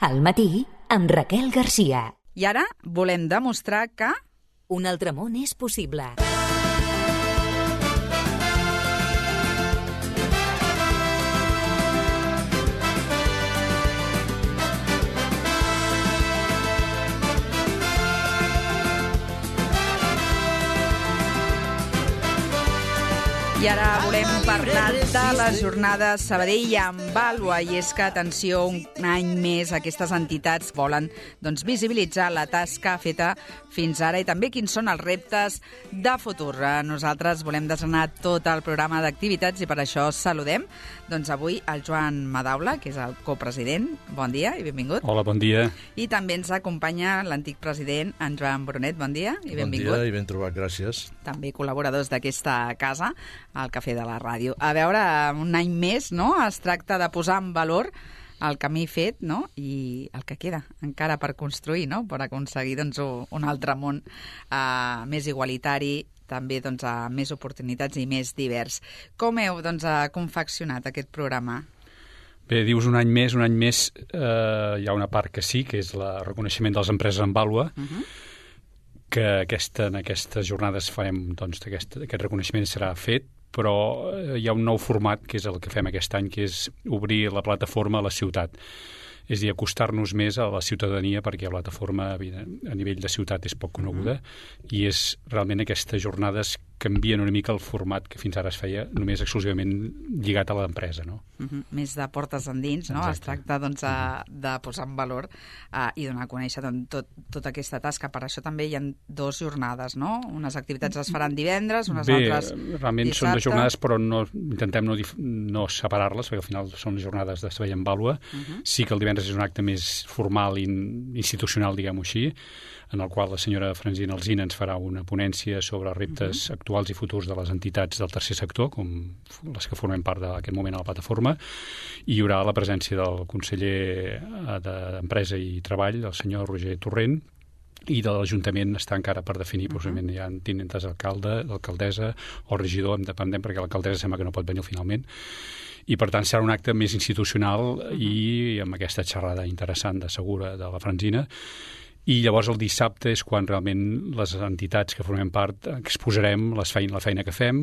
Al matí, amb Raquel Garcia. I ara volem demostrar que... Un altre món és possible. I ara volem parlar de les jornades Sabadell amb Vàlua, i és que, atenció, un any més aquestes entitats volen visibilitzar la tasca feta fins ara i també quins són els reptes de futur. Nosaltres volem desgranar tot el programa d'activitats i per això saludem avui el Joan Madaula, que és el copresident. Bon dia i benvingut. Hola, bon dia. I també ens acompanya l'antic president, en Joan Brunet. Bon dia i benvingut. Bon dia i ben trobat, gràcies. També col·laboradors d'aquesta casa, al Cafè de la Ràdio. A veure, un any més, no?, es tracta de posar en valor el camí fet, no?, i el que queda encara per construir, no?, per aconseguir un altre món més igualitari, també amb més oportunitats i més divers. Com heu confeccionat aquest programa? Bé, dius un any més, hi ha una part que sí, que és el reconeixement de les empreses en Vàlua, que en aquestes jornades farem, aquest reconeixement serà fet, però hi ha un nou format, que és el que fem aquest any, que és obrir la plataforma a la ciutat. És a dir, acostar-nos més a la ciutadania, perquè la plataforma a nivell de ciutat és poc coneguda, i és realment aquestes jornades canvien una mica el format que fins ara es feia només exclusivament lligat a l'empresa, no? Més de portes endins, no? Exacte. Es tracta de posar en valor i donar a conèixer tota aquesta tasca. Per això també hi ha 2 jornades, no? Unes activitats es faran divendres, unes altres dissabte. Realment són 2 jornades, però intentem no separar-les, perquè al final són jornades de Sabadell en Vàlua. Sí que el divendres és un acte més formal i institucional, diguem-ho així, en el qual la senyora Francina Alsina ens farà una ponència sobre els reptes actuals i futurs de les entitats del tercer sector, com les que formem part d'aquest moment a la plataforma, i hi haurà la presència del conseller d'Empresa i Treball, el senyor Roger Torrent, i de l'Ajuntament està encara per definir, possiblement hi ha tinentes alcalde, alcaldessa o regidor, dependent, perquè l'alcaldessa sembla que no pot venir finalment, i per tant serà un acte més institucional i amb aquesta xerrada interessant de Segura de la Francina. I llavors el dissabte és quan realment les entitats que formem part exposarem la feina que fem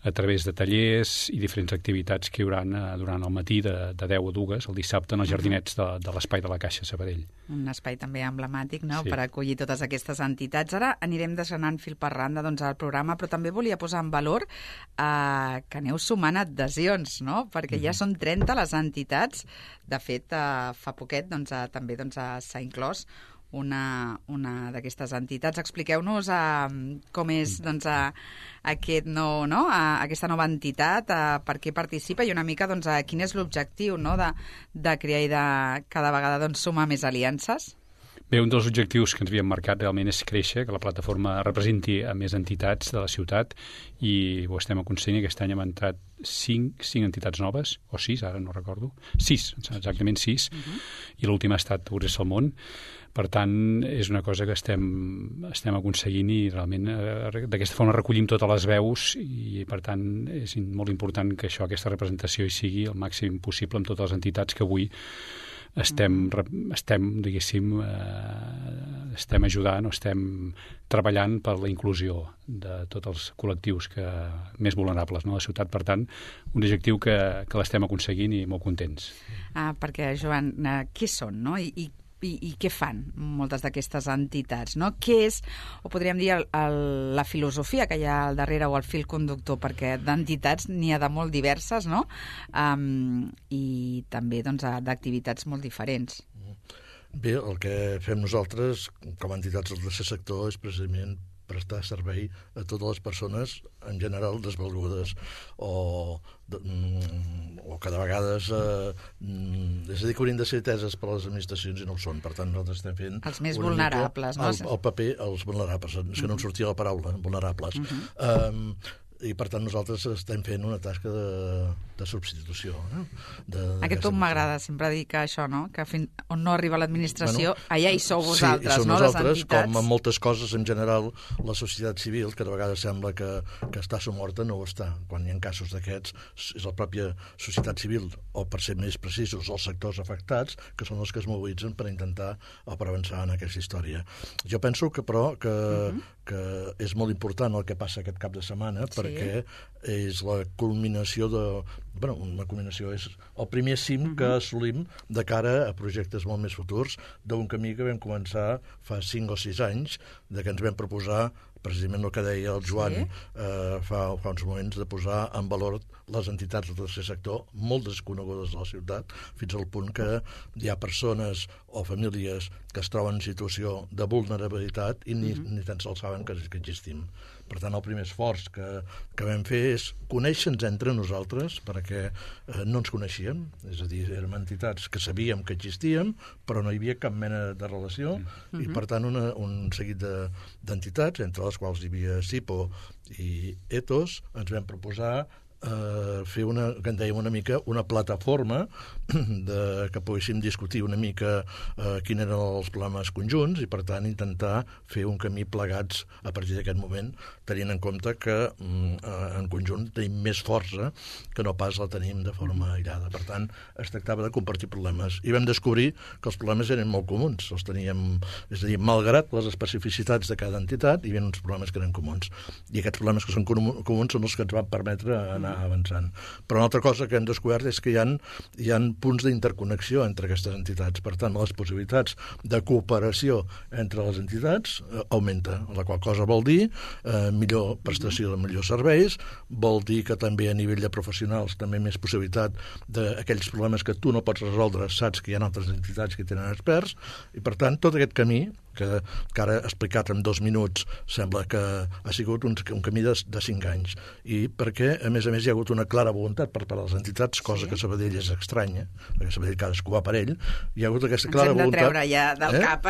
a través de tallers i diferents activitats que hi haurà durant el matí de 10 a 2 el dissabte en els jardinets de l'Espai de la Caixa Sabadell. Un espai també emblemàtic, no?, Sí. per acollir totes aquestes entitats. Ara anirem desgranant fil per randa al programa, però també volia posar en valor que aneu sumant adhesions, no?, perquè ja són 30 les entitats. De fet, fa poquet també s'ha inclòs una d'aquestes entitats. Expliqueu-nos com és aquesta nova entitat, per què participa i una mica quin és l'objectiu, no?, de crear i de cada vegada sumar més aliances. Bé, un dels objectius que ens havíem marcat realment és créixer, que la plataforma representi a més entitats de la ciutat, i ho estem aconseguint. Aquest any hem entrat 5 entitats noves, o 6, ara no recordo. 6, exactament 6, i l'última ha estat Obres al Món. Per tant, és una cosa que estem aconseguint i realment d'aquesta forma recollim totes les veus i, per tant, és molt important que aquesta representació hi sigui el màxim possible amb totes les entitats que avui estem ajudant o estem treballant per la inclusió de tots els col·lectius més vulnerables, no?, de la ciutat. Per tant, un objectiu que l'estem aconseguint i molt contents. Perquè, Joan, què són, no?, i què fan moltes d'aquestes entitats, no? Què és, o podríem dir, la filosofia que hi ha al darrere o el fil conductor, perquè d'entitats n'hi ha de molt diverses, no?, i també d'activitats molt diferents. Bé, el que fem nosaltres com a entitats del tercer sector és precisament prestar servei a totes les persones en general desvalgudes o cada vegada és a dir, que haurien de ser ateses per les administracions i no ho són. Per tant, nosaltres estem fent els més vulnerables, no? El paper, els vulnerables, és que no em sortia la paraula, vulnerables. i per tant nosaltres estem fent una tasca de substitució. Aquest punt m'agrada, sempre dic això, no? Que on no arriba l'administració, allà hi sou vosaltres, sí, no? Nosaltres, les entitats. com en moltes coses en general, la societat civil, que de vegades sembla que està somorta, no ho està. Quan hi ha casos d'aquests, és la pròpia societat civil, o per ser més precisos, els sectors afectats, que són els que es mobilitzen per intentar o per avançar en aquesta història. Jo penso que, però, que és molt important el que passa aquest cap de setmana, perquè és la culminació una culminació és el primer cim que assolim de cara a projectes molt més futurs d'un camí que vam començar fa 5 o 6 anys, de que ens vam proposar precisament el que deia el Joan fa uns moments, de posar en valor les entitats del tercer sector, molt desconegudes de la ciutat, fins al punt que hi ha persones o famílies que es troben en situació de vulnerabilitat i ni tan sols saben que existim. Per tant, el primer esforç que vam fer és conèixer-nos entre nosaltres, perquè no ens coneixíem, és a dir, érem entitats que sabíem que existíem, però no hi havia cap mena de relació, i per tant un seguit d'entitats, entre les quals hi havia SIPO i ETOS, ens vam proposar fer que en dèiem una mica una plataforma que poguéssim discutir una mica quins eren els problemes conjunts i per tant intentar fer un camí plegats a partir d'aquest moment, tenint en compte que en conjunt tenim més força que no pas la tenim de forma aïllada. Per tant, es tractava de compartir problemes i vam descobrir que els problemes eren molt comuns, els teníem, és a dir, malgrat les especificitats de cada entitat, hi havia uns problemes que eren comuns i aquests problemes que són comuns són els que ens van permetre anar avançant. Però una altra cosa que hem descobert és que hi ha punts d'interconnexió entre aquestes entitats. Per tant, les possibilitats de cooperació entre les entitats augmenta, la qual cosa vol dir millor prestació de millors serveis, vol dir que també a nivell de professionals també més possibilitat d'aquells problemes que tu no pots resoldre, saps que hi ha altres entitats que tenen experts, i per tant tot aquest camí que ara explicat en 2 minuts sembla que ha sigut un camí de 5 anys, i perquè a més hi ha hagut una clara voluntat per part de les entitats, cosa que a Sabadell és estranya, perquè a Sabadell cadascú va per ell, hi ha hagut aquesta clara voluntat. Ens hem de treure ja del cap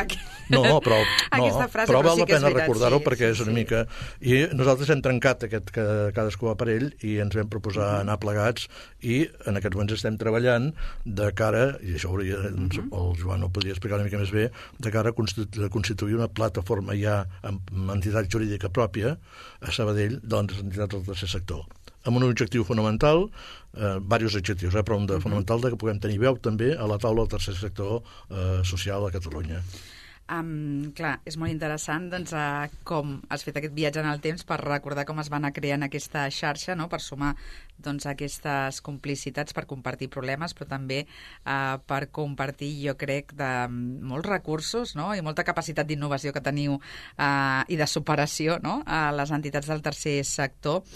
però val la pena recordar-ho perquè és una mica... I nosaltres hem trencat aquest que cadascú va per ell i ens vam proposar anar plegats i en aquests moments estem treballant de cara, i això el Joan ho podria explicar una mica més bé, de cara a constituir una plataforma ja amb entitat jurídica pròpia a Sabadell de les entitats del tercer sector, amb un objectiu fonamental, diversos objectius, però un de fonamental de que puguem tenir veu també a la taula del tercer sector social a Catalunya. Clar, és molt interessant doncs, com has fet aquest viatge en el temps per recordar com es va anar creant aquesta xarxa, no? Per sumar doncs, aquestes complicitats, per compartir problemes, però també per compartir, jo crec, de molts recursos, no? I molta capacitat d'innovació que teniu i de superació, no? A les entitats del tercer sector,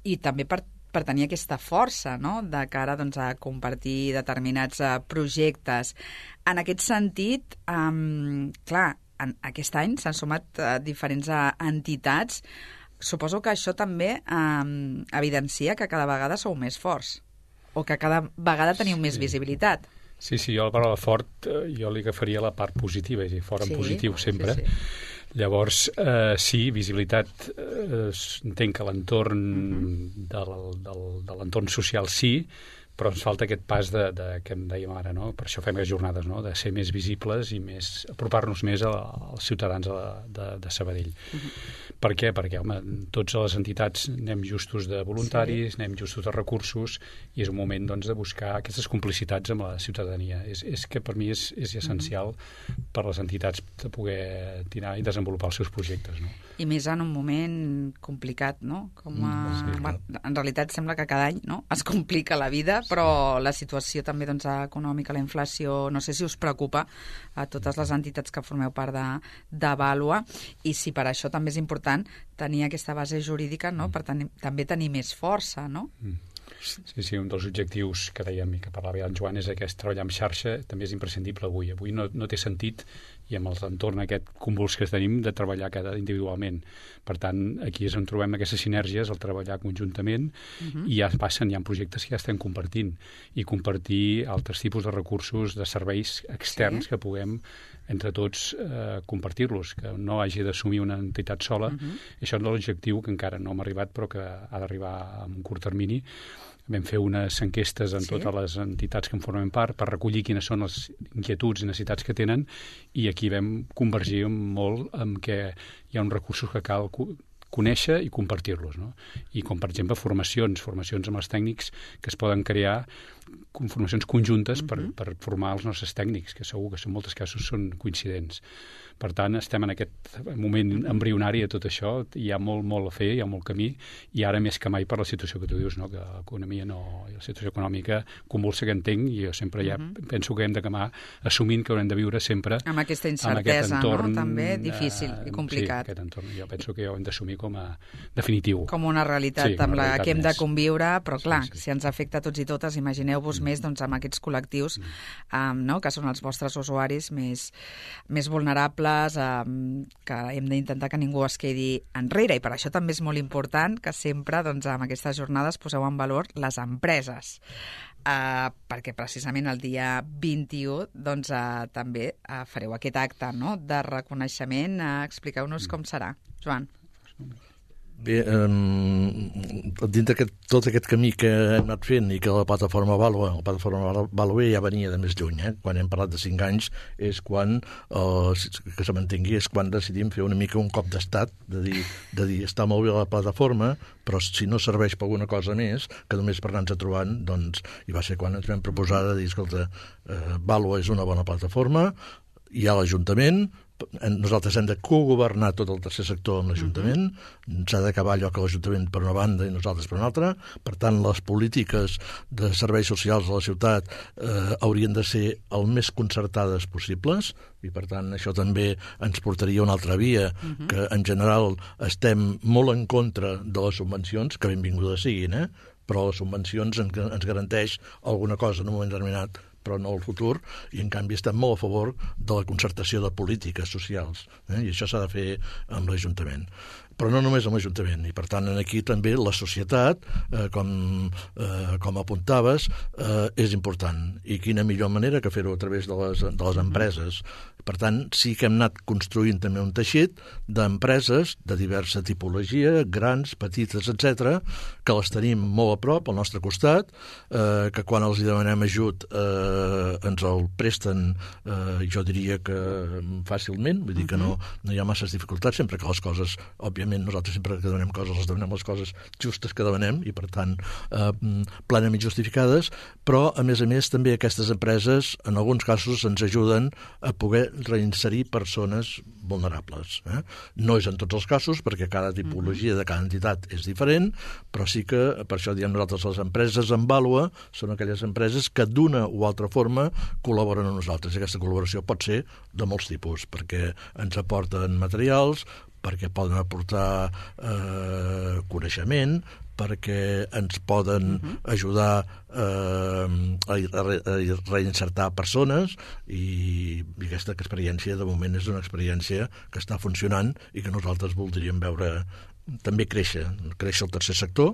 i també per tenir aquesta força, no?, de cara doncs, a compartir determinats projectes. En aquest sentit, clar, aquest any s'han sumat diferents entitats. Suposo que això també evidencia que cada vegada sou més forts o que cada vegada teniu més visibilitat. Sí, jo la paraula fort jo li agafaria la part positiva, és a dir, fort en positiu sempre. Sí. Llavors, sí, visibilitat, entenc que l'entorn de l'entorn social sí, però ens falta aquest pas que em dèiem ara, no? Per això fem les jornades, no? De ser més visibles i apropar-nos més als ciutadans de Sabadell. Per què? Perquè, home, tots les entitats anem justos de voluntaris, anem justos de recursos, i és un moment, doncs, de buscar aquestes complicitats amb la ciutadania. És que per mi és essencial per les entitats de poder tirar i desenvolupar els seus projectes, no? I més en un moment complicat, no? En realitat sembla que cada any, no?, es complica la vida, però la situació també doncs, econòmica, la inflació, no sé si us preocupa a totes les entitats que formeu part de Vàlua, i si per això també és important tenir aquesta base jurídica, no?, per també tenir més força, no? Sí, un dels objectius que dèiem i que parlava ja en Joan és aquest treballar en xarxa, també és imprescindible avui. Avui no té sentit, i amb l'entorn aquest convuls que tenim, de treballar cada individualment. Per tant, aquí és on trobem aquestes sinergies, el treballar conjuntament, i ja hi ha projectes que ja estem compartint, i compartir altres tipus de recursos, de serveis externs que puguem entre tots compartir-los, que no hagi d'assumir una entitat sola. Això és l'objectiu que encara no hem arribat, però que ha d'arribar en un curt termini. Vam fer unes enquestes en totes les entitats que en formen part per recollir quines són les inquietuds i necessitats que tenen, i aquí vam convergir molt en què hi ha uns recursos que cal conèixer i compartir-los, no? I com, per exemple, formacions amb els tècnics que es poden crear, formacions conjuntes per formar els nostres tècnics, que segur que en molts casos són coincidents. Per tant, estem en aquest moment embrionari de tot això, hi ha molt a fer, hi ha molt camí, i ara més que mai per la situació que tu dius, no? Que l'economia i la situació econòmica convulsa, que entenc, i jo sempre ja penso que hem d'acabar assumint que haurem de viure sempre amb aquesta incertesa, entorn, no? També difícil i complicat. Sí, aquest entorn. Jo penso que ho hem d'assumir com a definitiu. Com una realitat amb la que hem de conviure, però clar, si ens afecta a tots i totes, imagineu-vos més amb aquests col·lectius que són els vostres usuaris més vulnerables, que hem d'intentar que ningú es quedi enrere, i per això també és molt important que sempre amb aquestes jornades poseu en valor les empreses, perquè precisament el dia 21 també fareu aquest acte de reconeixement. Expliqueu-nos com serà, Joan. Bé, dintre tot aquest camí que hem anat fent i que la plataforma Value ja venia de més lluny, quan hem parlat de 5 anys és quan, que se mantengui, és quan decidim fer una mica un cop d'estat, de dir està molt bé la plataforma, però si no serveix per alguna cosa més, que només per anar-nos trobant, doncs, i va ser quan ens vam proposar de dir, escolta, Value és una bona plataforma, hi ha l'Ajuntament, nosaltres hem de cogovernar tot el tercer sector amb l'Ajuntament, s'ha d'acabar allò que l'Ajuntament per una banda i nosaltres per una altra, per tant les polítiques de serveis socials de la ciutat haurien de ser el més concertades possibles, i per tant això també ens portaria a una altra via, que en general estem molt en contra de les subvencions, que benvingudes siguin, però les subvencions ens garanteix alguna cosa en un moment determinat, però no al futur, i en canvi estem molt a favor de la concertació de polítiques socials, i això s'ha de fer amb l'Ajuntament. Però no només amb l'Ajuntament, i per tant aquí també la societat, com apuntaves, és important, i quina millor manera que fer-ho a través de les empreses. Per tant, sí que hem anat construint també un teixit d'empreses de diversa tipologia, grans, petites, etc., que les tenim molt a prop, al nostre costat, que quan els demanem ajut ens el presten, jo diria que fàcilment, vull dir que no hi ha masses dificultats, sempre que les coses, òbviament, nosaltres sempre que demanem coses, les demanem les coses justes que demanem, i per tant plenament justificades, però a més també aquestes empreses en alguns casos ens ajuden a poder reinserir persones vulnerables. No és en tots els casos, perquè cada tipologia de cada entitat és diferent, però sí que, per això diem nosaltres, les empreses amb Value són aquelles empreses que d'una o altra forma col·laboren amb nosaltres. I aquesta col·laboració pot ser de molts tipus, perquè ens aporten materials, perquè poden aportar coneixement, perquè ens poden ajudar a reinsertar persones, i aquesta experiència de moment és una experiència que està funcionant i que nosaltres voldríem veure també créixer el tercer sector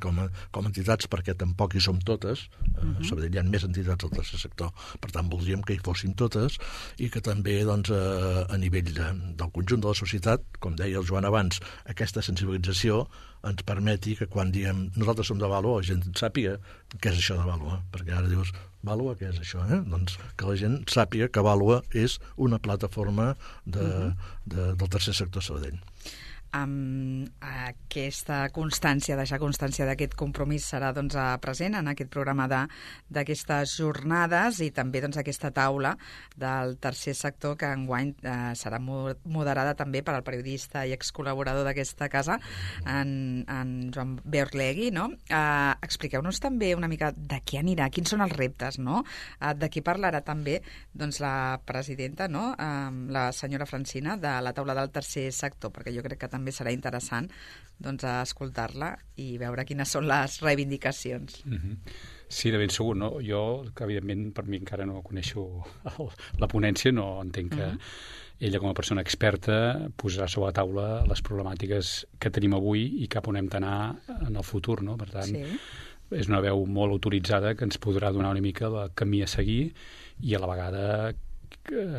com a entitats, perquè tampoc hi som totes. A Sabadell hi ha més entitats al tercer sector, per tant voldríem que hi fossin totes, i que també a nivell del conjunt de la societat, com deia el Joan abans, aquesta sensibilització ens permeti que quan diem nosaltres som de Value, la gent sàpiga què és això de Value, perquè ara dius Value, què és això? Doncs que la gent sàpiga que Value és una plataforma del tercer sector Sabadell. Aquesta constància, deixar constància d'aquest compromís serà present en aquest programa d'aquestes jornades, i també aquesta taula del tercer sector que enguany serà moderada també per al periodista i excol·laborador d'aquesta casa, en Joan Beorlegui, no? Expliqueu-nos també una mica de què anirà, quins són els reptes, no? De qui parlarà també la presidenta, no? La senyora Francina, de la taula del tercer sector, perquè jo crec que també també serà interessant escoltar-la i veure quines són les reivindicacions. Sí, de ben segur, no? Jo, que evidentment per mi encara no coneixo la ponència, no entenc que ella com a persona experta posarà sobre la taula les problemàtiques que tenim avui i cap on hem d'anar en el futur, no? Per tant, és una veu molt autoritzada que ens podrà donar una mica el camí a seguir i a la vegada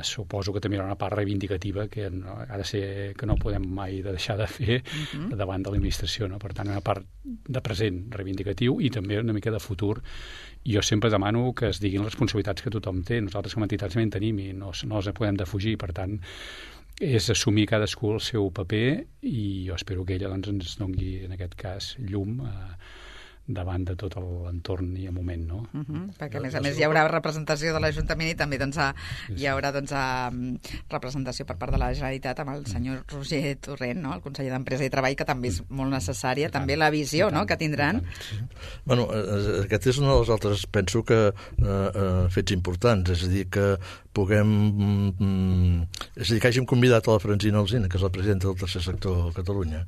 suposo que també hi ha una part reivindicativa que ha de ser que no podem mai deixar de fer davant de l'administració, no? Per tant, una part de present reivindicatiu i també una mica de futur. Jo sempre demano que es diguin les responsabilitats que tothom té. Nosaltres com a entitats també en tenim i no les podem defugir. Per tant, és assumir cadascú el seu paper i jo espero que ella ens doni, en aquest cas, llum davant de tot l'entorn i el moment, no? Perquè, a més, hi haurà representació de l'Ajuntament i també hi haurà representació per part de la Generalitat amb el senyor Roger Torrent, no? El conseller d'Empresa i Treball, que també és molt necessària, també la visió que tindran. Bueno, aquest és un dels altres, penso que fets importants, és a dir, que que hàgim convidat a la Francina Alsina, que és la presidenta del tercer sector a Catalunya,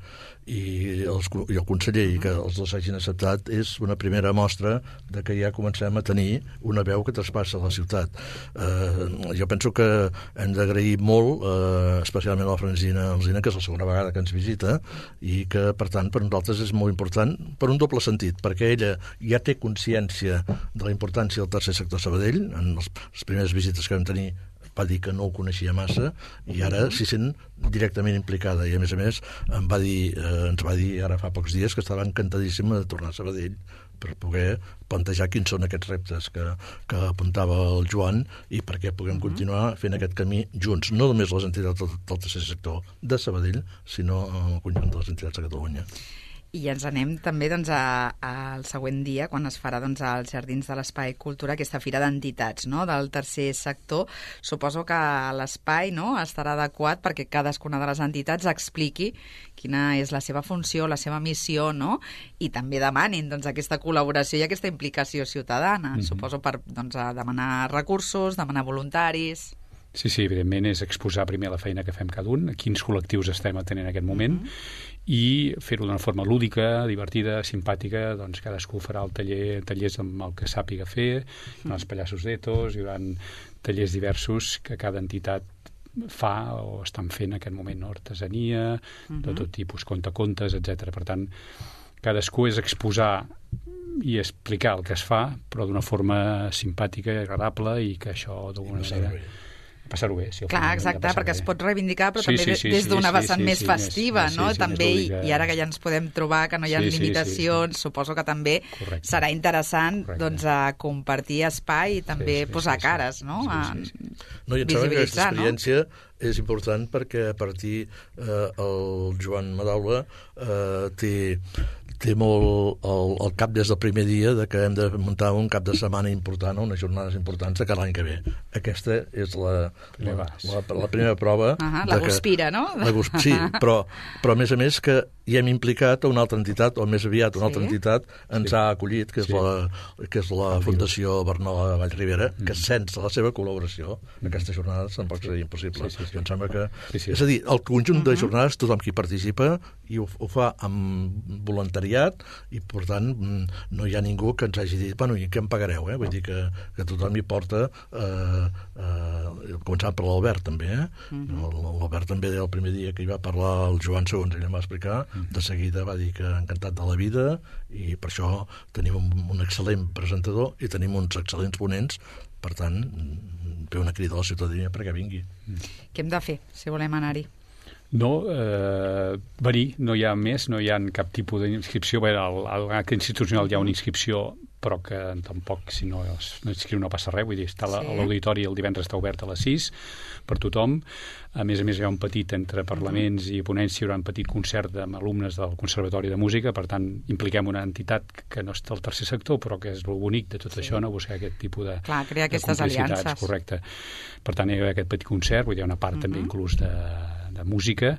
i el conseller, i que els dos hagin acceptat, és una primera mostra de que ja comencem a tenir una veu que traspassa la ciutat. Jo penso que hem d'agrair molt, especialment a la Francina Alsina, que és la segona vegada que ens visita, i que, per tant, per nosaltres és molt important per un doble sentit, perquè ella ja té consciència de la importància del tercer sector Sabadell. En les primeres visites que vam tenir va dir que no ho coneixia massa i ara s'hi sent directament implicada i a més ens va dir ara fa pocs dies que estava encantadíssima de tornar a Sabadell per poder plantejar quins són aquests reptes que apuntava el Joan i perquè puguem continuar fent aquest camí junts, no només les entitats del tercer sector de Sabadell, sinó el conjunt de les entitats de Catalunya. I ens anem també al següent dia, quan es farà als Jardins de l'Espai Cultura, aquesta fira d'entitats del tercer sector. Suposo que l'espai estarà adequat perquè cadascuna de les entitats expliqui quina és la seva funció, la seva missió, i també demanin aquesta col·laboració i aquesta implicació ciutadana. Suposo per demanar recursos, demanar voluntaris. Sí, evidentment és exposar primer la feina que fem cada un, quins col·lectius estem atenent en aquest moment, i fer-ho d'una forma lúdica, divertida, simpàtica. Cadascú farà tallers amb el que sàpiga fer, els pallassos d'etos, hi haurà tallers diversos que cada entitat fa o estan fent en aquest moment, artesania, de tot tipus, contacontes, etc. Per tant, cadascú és exposar i explicar el que es fa, però d'una forma simpàtica i agradable i que això d'alguna manera... passar-ho bé. Clar, exacte, perquè es pot reivindicar, però també des d'una vessant més festiva, no? També, i ara que ja ens podem trobar, que no hi ha limitacions, suposo que també serà interessant compartir espai i també posar cares, no? No, i em sembla que aquesta experiència és important perquè a partir el Joan Madaula té molt el cap des del primer dia de que hem de muntar un cap de setmana important o unes jornades importants de cada any que ve. Aquesta és la primera prova. La Guspira, no? Sí, però a més que hi hem implicat a una altra entitat, o més aviat una altra entitat ens ha acollit, que és la Fundació Barnola Vallribera, que sense la seva col·laboració aquestes jornades tampoc seria impossible. Em sembla que... És a dir, el conjunt de jornades, tothom qui participa i ho fa amb voluntariat i, per tant, no hi ha ningú que ens hagi dit, bueno, i què em pagareu? Vull dir que tothom hi porta, començant per l'Albert, també. L'Albert també, el primer dia que hi va parlar el Joan, segons ell em va explicar, de seguida va dir que encantat de la vida i per això tenim un excel·lent presentador i tenim uns excel·lents ponents, per tant, fer una crida a la ciutadania perquè vingui. Què hem de fer, si volem anar-hi? No, venir, no hi ha més, no hi ha cap tipus d'inscripció. Bé, a l'acte institucional hi ha una inscripció, però que tampoc, si no inscriu no passa res, vull dir, està a l'auditori, el divendres està obert a les 6 per tothom. A més hi ha un petit, entre parlaments i ponència, hi haurà un petit concert amb alumnes del Conservatori de Música, per tant, impliquem una entitat que no està al tercer sector, però que és el bonic de tot això, no? Buscar aquest tipus de crear aquestes aliances. Correcte. Per tant, hi ha aquest petit concert, vull dir, hi ha una part també inclús de música,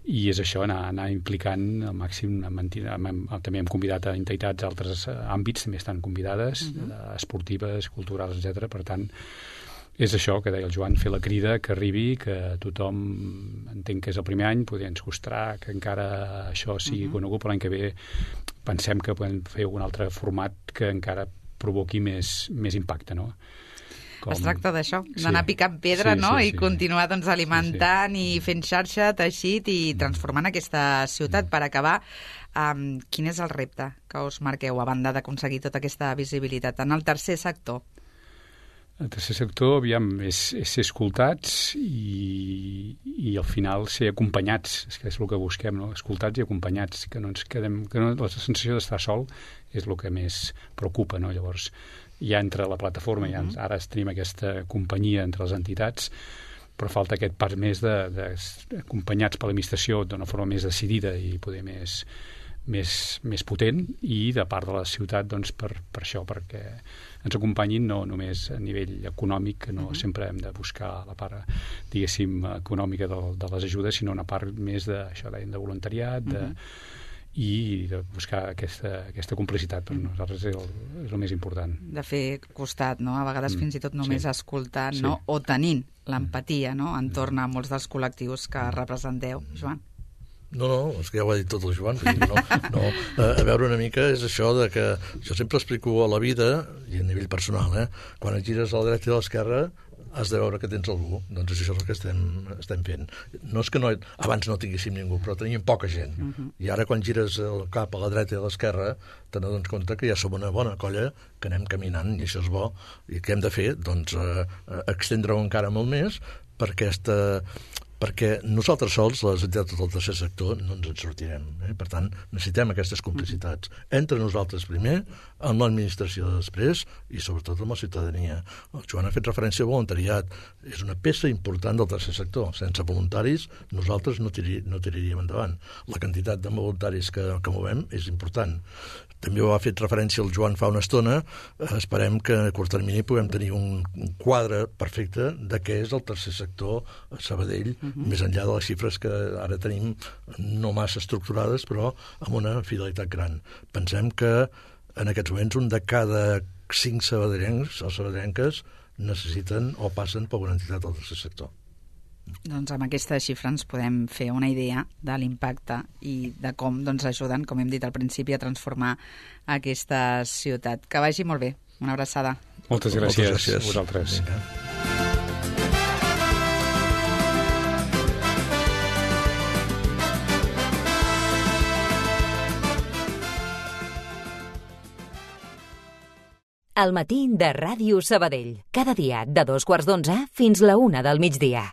i és això, anar implicant al màxim. També hem convidat a entitats d'altres àmbits, també estan convidades, esportives, culturals, etc. Per tant, És això que deia el Joan, fer la crida, que arribi, que tothom entenc que és el primer any, poder ens costarà que encara això sigui conegut, però l'any que ve pensem que podem fer un altre format que encara provoqui més impacte, no? Es tracta d'això, d'anar picant pedra, no? I continuar doncs, alimentant i fent xarxa, teixit i transformant aquesta ciutat. Per acabar, quin és el repte que us marqueu a banda d'aconseguir tota aquesta visibilitat en el tercer sector? El tercer sector, aviam, és ser escoltats i al final ser acompanyats, és que és el que busquem, no? Escoltats i acompanyats, que no ens quedem... la sensació d'estar sol és el que més preocupa, no? Llavors, ja entre la plataforma, ara tenim aquesta companyia entre les entitats, però falta aquest pas més d'acompanyats per l'administració d'una forma més decidida i poder més potent, i de part de la ciutat doncs, per això, perquè ens acompanyin no només a nivell econòmic, que no sempre hem de buscar la part, diguéssim, econòmica de les ajudes, sinó una part més d'això, de voluntariat, i de buscar aquesta complicitat. Per nosaltres és el més important. De fer costat, no? A vegades fins i tot només escoltant, no? O tenint l'empatia, no? Entorn a molts dels col·lectius que representeu. Joan? No, és que ja ho ha dit tot el Joan. A veure, una mica és això de que jo sempre explico a la vida, i a nivell personal, quan et gires a la dreta i a l'esquerra has de veure que tens algú. Doncs això és el que estem fent. No és que abans no tinguéssim ningú, però teníem poca gent. I ara quan gires el cap a la dreta i a l'esquerra te n'adones compte que ja som una bona colla, que anem caminant, i això és bo. I què hem de fer? Doncs extendre-ho encara molt més perquè nosaltres sols, les entitats del tercer sector, no ens en sortirem. Per tant, necessitem aquestes complicitats. Entre nosaltres primer, amb l'administració després i sobretot amb la ciutadania. El Joan ha fet referència al voluntariat. És una peça important del tercer sector. Sense voluntaris nosaltres no tiraríem endavant. La quantitat de voluntaris que movem és important. També ho ha fet referència el Joan fa una estona. Esperem que a curt termini puguem tenir un quadre perfecte de què és el tercer sector a Sabadell, més enllà de les xifres que ara tenim no massa estructurades, però amb una fidelitat gran. Pensem que en aquests moments un de cada 5 sabadellencs o sabadellenques necessiten o passen per una entitat del tercer sector. Doncs amb aquesta xifra ens podem fer una idea de l'impacte i de com ajuden, com hem dit al principi, a transformar aquesta ciutat. Que vagi molt bé. Una abraçada. Moltes gràcies a vosaltres. El matí de Ràdio Sabadell. Cada dia de 2:15 fins la 1 del migdia.